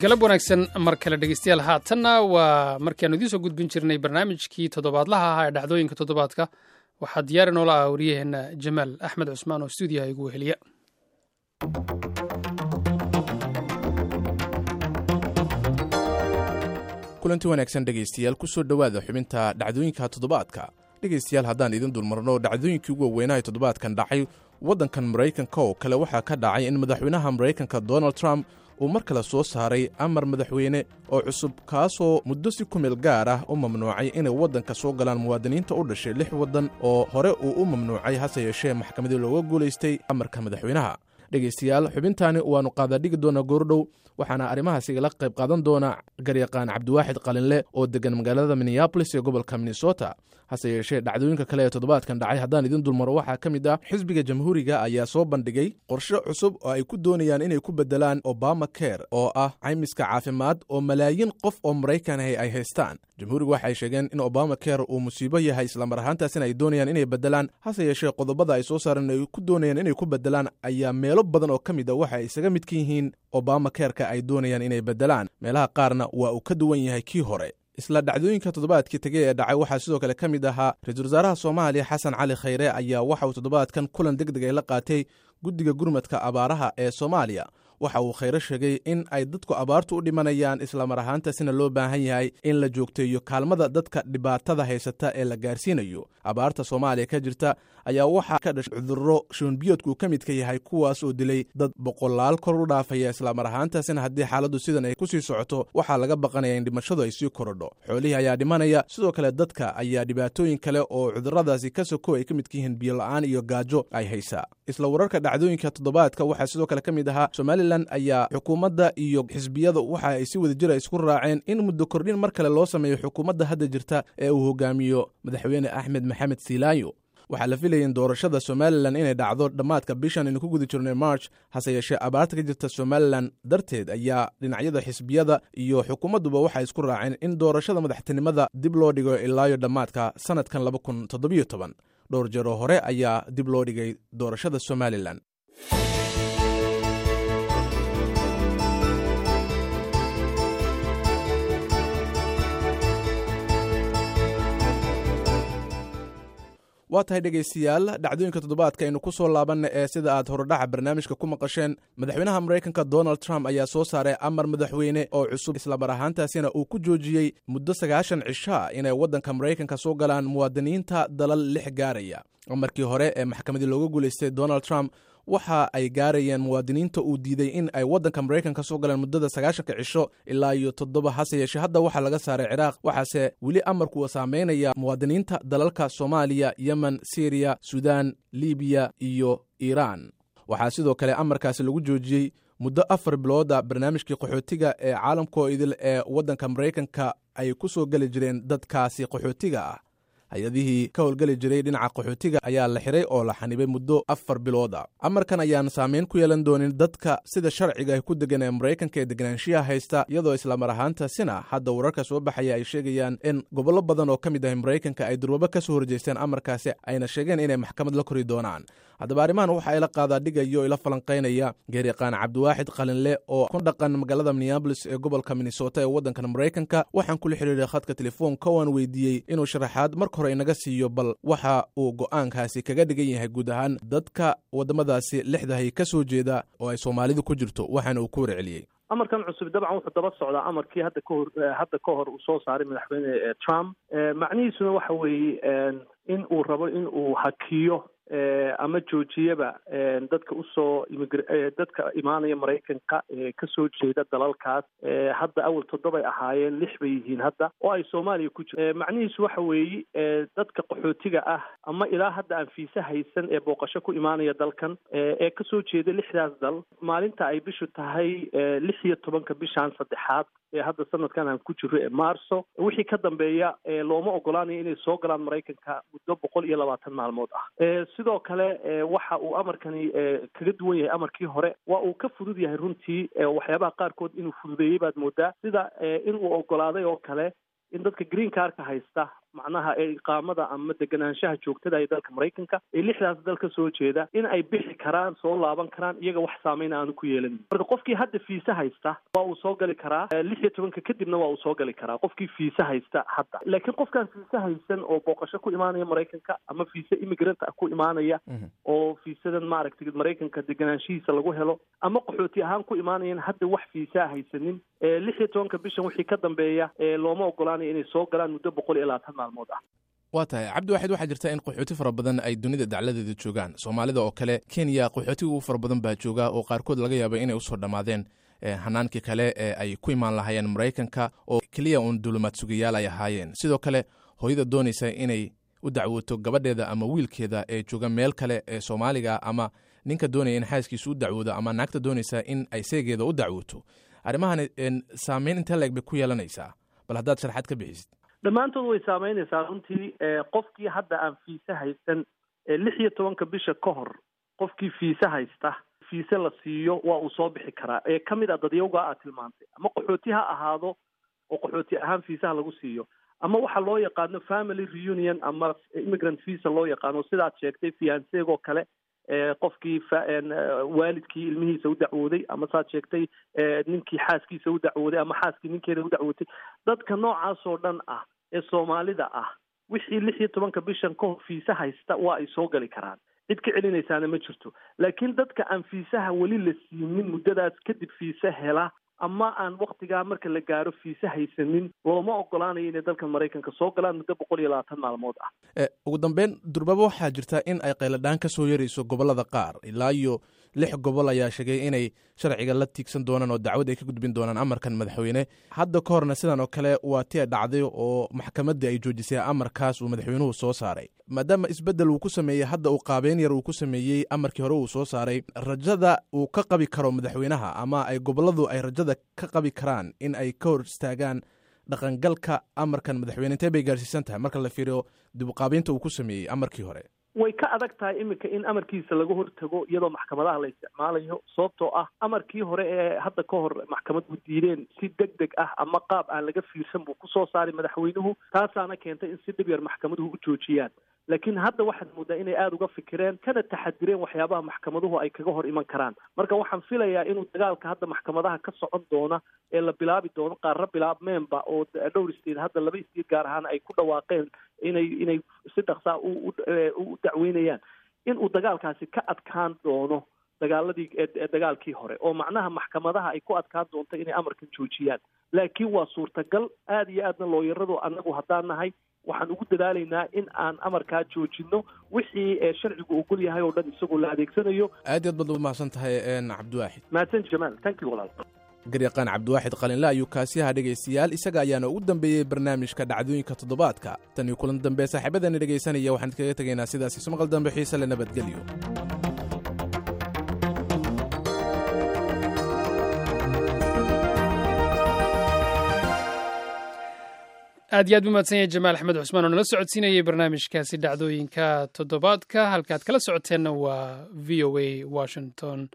Galab wanaagsan mar kale, dhegeystayaal. Haatanna waa markiaanu idiin soo gudbin jirnay barnaamijkii toddobaadlaha ahaa ee dhacdooyinka toddobaadka. Waxaa diyaari noola ah wariyaheenna Jamaal Axmed Cusmaan oo stuudiyaha igu weheliya. Kulanti wanaagsan, dhegaystayaal, ku soo dhowaada xubinta dhacdooyinka toddobaadka. Dhegaystayaal, haddaan idin dulmarno dhacdooyinkii ugu waaweynaa ee toddobaadkan dhacay waddankan Maraykanka oo kale, waxaa ka dhacay in madaxweynaha Maraykanka Donald Trump uu mar kale soo saaray amar madaxweyne oo cusub, kaasoo muddo si ku meel gaar ah u mamnuucay inay waddanka soo galaan muwaadiniinta u dhashay lix waddan oo hore uu u mamnuucay, hase yeeshee maxkamadii looga guulaystay amarka madaxweynaha. Dhegaystayaal, xubintaani waannu qaadaadhigi doonaa goordhow, waxaana arrimahaas igala qayb qaadan doona garyaqaan Cabdiwaaxid Qalinle oo degan magaalada Minneabolis ee gobolka Minnesota. Hase yeeshee, dhacdooyinka kale ee toddobaadkan dhacay haddaan idin dulmaro, waxaa ka mid ah xisbiga Jamhuuriga ayaa soo bandhigay qorshe cusub oo ay ku doonayaan inay ku beddelaan Obama Care, oo ah caymiska caafimaad oo malaayiin qof oo Maraykan ahi ay haystaan. Jamhuuriga waxay sheegeen in Obama Care uu musiibo yahay, islamar ahaantaasina ay doonayaan inay beddelaan. Hase yeeshee, qodobada ay soo saareen ay ku doonayaan inay ku beddelaan ayaa meelo badan oo ka mid a waxa ay isaga midka yihiin Obama Careka ay doonayaan inay beddelaan, meelaha qaarna waa uu ka duwan yahay kii hore. Isla dhacdooyinka toddobaadkii tegey ee dhacay waxaa sidoo kale ka mid ahaa ra-iisul wasaaraha Soomaaliya Xasan Cali Khayre ayaa waxa uu toddobaadkan kulan deg deg ay la qaatay guddiga gurmadka abaaraha ee Soomaaliya. Waxa uu Khayre sheegay in ay dadku abaartu u dhimanayaan, islamar ahaantaasina loo baahan yahay in la joogteeyo kaalmada dadka dhibaatada haysata ee la gaarsiinayo. Abaarta Soomaaliya ka jirta ayaa waxaa ka dhashay cudurro shuunbiyoodku ka midka yahay, kuwaas oo dilay dad boqolaal kor u dhaafaya. Islamar ahaantaasina haddii xaaladdu sidan ay kusii socoto, waxaa laga baqanaya in dhimashadu ay sii korodho. Xoolihii ayaa dhimanaya, sidoo kale dadka ayaa dhibaatooyin kale oo cudurradaasi ka soko ay ka midka yihiin biyola-aan iyo gaajo ay haysaa. Isla wararka dhacdooyinka toddobaadka waxaa sidoo kale ka mid ahaa Somalilan ayaa xukuumadda iyo xisbiyada waxa ay si wada jira isku raaceen in muddo kordhin mar kale loo sameeyo xukuumadda hadda jirta ee uu hogaamiyo madaxweyne Axmed Maxamed Siilaayo. Waxaa la filayay in doorashada Somalilan inay dhacdo dhammaadka bishan aynu ku guda jirnay March, hase yeeshee abaarta ka jirta Somalilan darteed ayaa dhinacyada xisbiyada iyo xukuumadduba waxay isku raaceen in doorashada madaxtinimada dib loo dhigo ilaayo dhammaadka sanadkan 2017. Dhowr jeeroo hore ayaa dib loo dhigay doorashada Somalilan. Waa tahay, dhegaystayaal, dhacdooyinka toddobaadka aynu ku soo laabanna ee sida aad horodhaca barnaamijka ku maqasheen, madaxweynaha Maraykanka Donald Trump ayaa soo saaray amar madaxweyne oo cusub, islamar ahaantaasina uu ku joojiyey muddo 90 cishaa inay waddanka Maraykanka soo galaan muwaadiniinta dalal lix gaaraya. Amarkii hore ee maxkamadii looga guulaystay Donald Trump waxa ay gaarayeen muwaadiniinta uu diiday in ay waddanka Maraykanka soo galeen muddada 90-ka cisho ilaa iyo toddoba. Hase yeeshee, hadda waxaa laga saaray Ciraaq, waxaase weli amarku saameynaya muwaadiniinta dalalka Soomaaliya, Yemen, Syriya, Suudaan, Libiya iyo Iiraan. Waxaa sidoo kale amarkaasi lagu joojiyey muddo 4 bilooda barnaamijkii qaxootiga ee caalamkoo idil ee waddanka Maraykanka ay ku soo geli jireen dadkaasi qaxootiga ah. Hay-adihii ka howlgeli jiray dhinaca qaxootiga ayaa la xiray oo la xanibay muddo 4 bilood a. Amarkan ayaan saameyn ku yeelan doonin dadka sida sharciga ay ku degan ee Maraykanka ee deganaanshiyaha haysta, iyadoo islamar ahaantaasina hadda wararka soo baxaya ay sheegayaan in gobollo badan oo ka mid ah Maraykanka ay durbabo ka soo horjeesteen amarkaasi, ayna sheegeen inay maxkamad la kori doonaan. Haddaba arrimahan waxa ila qaadaa dhigayo ila falanqaynaya geeryaqaan Cabdiwaaxid Qalinle oo ku dhaqan magaalada Minneabolis ee gobolka Minnesota ee waddankan Maraykanka. Waxaan kula xiriiray khadka telefoonka waan weydiiyey inuu sharaxaad marka hore inaga siiyo bal waxa uu go'aankaasi kaga dhigan yahay guud ahaan dadka waddamadaasi lixdahay ka soo jeeda oo ay Soomaalidu ku jirto, waxaana uu ku warceliyey. Amarkan cusub dabcan wuxuu daba socdaa amarkii hadda ka hor uu soo saaray madaxweyne Trump. Macnihiisuna waxa weeye in uu rabo in uu hakiyo ama joojiyaba dadka usoo dadka imaanaya Maraykanka ee kasoo jeeda dalalkaas. Hadda awal toddobay ahaayeen, lix bay yihiin hadda oo ay Soomaaliya ku jirto. Macnihiisu waxa weeye dadka qaxootiga ah ama ilaa hadda aan fiise haysan ee booqasho ku imaanaya dalkan ee kasoo jeeda lixdaas dal, maalinta ay bishu tahay 16-ka bishan saddexaad ee hadda sanadkan aan ku jiro ee Maarso wixii ka dambeeya, looma ogolaanayo inay soo galaan Maraykanka muddo 120 maalmood ah. Sidoo kale waxa uu amarkani kaga duwan yahay amarkii hore, waa uu ka fudud yahay runtii. Waxyaabaha qaarkood inuu fududeeyey baad moodaa, sida in uu ogolaaday oo kale in dadka green carka haysta macnaha ee iqaamada ama deganaanshaha joogtada ee dalka Maraykanka ee 6daas dal ka soo jeeda in ay bixi karaan, soo laaban karaan, iyaga wax saameyn aanu ku yeelanin. Marka qofkii hadda fiise haysta waa uu soo gali karaa, 16-ka kadibna waa uu soo gali karaa qofkii fiise haysta hadda. Laakiin qofkaan fiise haysan oo booqasho ku imaanaya Maraykanka ama fiise immigrant ah ku imaanaya oo fiisadan maaragtay Maraykanka deganaanshihiisa lagu helo ama qaxooti ahaan ku imaanayan hadda wax fiisaa haysanin, 16-ka bishan wixii ka dambeeya looma ogolaanayo inay soo galaan muddo 120 maalmood ah. Waa tahay Cabdiwaxid, waxaa jirta in qaxooti fara badan ay dunida dacladeeda joogaan. Soomaalida oo kale Kenya qaxootiga ugu fara badan baa jooga oo qaarkood laga yaaba inay usoo dhammaadeen hanaankii kale ee ay ku imaan lahaayeen Maraykanka oo keliya uun duulumaad sugayaal ay ahaayeen. Sidoo kale hooyada doonaysa inay u dacwooto gabadheeda ama wiilkeeda ee jooga meel kale ee Soomaaliga, ama ninka doonaya in xaaskiisa u dacwoodo, ama naagta doonaysa in ay seegeeda u dacwooto, arrimahan saameyn intee leeg bay ku yeelanaysaa? Bal haddaad sharxaad ka bixisid. Dhammaantood way saameynaysaa runtii. Qofkii hadda aan fiise haysan 16-ka bisha ka hor, qofkii fiise haysta, fiise la siiyo, waa uu soo bixi karaa ee ka mid ah dadyowgaa aad tilmaantay, ama qaxooti ha ahaado oo qaxooti ahaan fiisaha lagu siiyo, ama waxa loo yaqaano family reunion ama immigrant visa loo yaqaano, sidaad sheegtay fianseegoo kale, qofkii waalidkii ilmihiisa u dacwooday, ama saad sheegtay ninkii xaaskiisa u dacwooday ama xaaskii ninkeeda u dacwootay. Dadka noocaas oo dhan ah ee Soomaalida ah wixii 16-ka bishan ka hor fiise haysta waa ay soo gali karaan, cid ka celinaysaana ma jirto. Laakiin dadka aan fiisaha weli la siinin muddadaas kadib fiise hela ama aan waktigaa marka la gaaro fiise haysanin, looma ogolaanayo inay dalka Maraykanka soo galaan muddo 120 maalmood ah. Ugu dambeyn, durbaba waxaa jirta in ay qayladhaan ka soo yarayso gobollada qaar. Ilaa iyo 6 gobol ayaa sheegay inay sharciga la tiigsan doonaan oo dacwad ay ka gudbin doonaan amarkan madaxweyne. Hadda ka horna sidan oo kale waa ti ay dhacday oo maxkamaddii ay joojisay amarkaas uu madaxweynuhu soo saaray, maadaama isbeddel uu ku sameeyey hadda uu qaabeyn yar uu ku sameeyey amarkii hore uu soo saaray. Rajada uu ka qabi karo madaxweynaha ama ay gobolladu ay rajada ka qabi karaan in ay ka hor istaagaan dhaqangalka amarkan madaxweyne intee bay gaarsiisan tahay marka la fiiriyo dib uqaabeynta uu ku sameeyey amarkii hore? Way ka adag tahay iminka in amarkiisa laga hortago iyadoo maxkamadaha la isticmaalayo, sababtoo ah amarkii hore ee hadda ka hor maxkamaduhu diideen si deg deg ah ama qaab aan laga fiirsan buu kusoo saaray madaxweynuhu, taasaana keentay in si dhib yar maxkamaduhu u joojiyaan. Laakiin hadda waxaad moodaa inay aada uga fikireen kana taxadireen waxyaabaha maxkamaduhu ay kaga hor iman karaan. Marka waxaan filayaa inuu dagaalka hadda maxkamadaha ka socon doona ee la bilaabi doono, qaarra bilaabmeenba oo dhowr state hadda, 2 state gaar ahaan ay ku dhawaaqeen inay si dhaqsaa u dacweynayaan, inuu dagaalkaasi ka adkaan doono dagaaladii dagaalkii hore, oo macnaha maxkamadaha ay ku adkaan doonto inay amarkan joojiyaan. Laakiin waa suurtagal aada iyo aadna. Looyaradu annagu haddaan nahay waxaan ugu dadaalaynaa in aan amarkaa joojino wixii sharcigu ogol yahay oo dhan isagoo la adeegsanayo. Aad iyo aad baad u mahadsan tahay, Cabdiwaaxid. Mahadsan Jamaal, thank you walaal. Garyaqaan Cabdiwaaxid Qalinle ayuu kaasiyaha. Dhegaystayaal, isaga ayaana ugu dambeeyey barnaamijka dhacdooyinka toddobaadka. Tan iyo kulan dambe, saaxiibadani dhegaysanaya, waxaan idkaga tegaynaa sidaas ismaqal dambe xiise le, nabadgelyo. Aad iyo aad bu mahadsan yahay Jamaal Axmed Cusmaan oo nala socodsiinayay barnaamijkaasi dhacdooyinka toddobaadka. Halkaad kala socoteenna waa VOA Washington.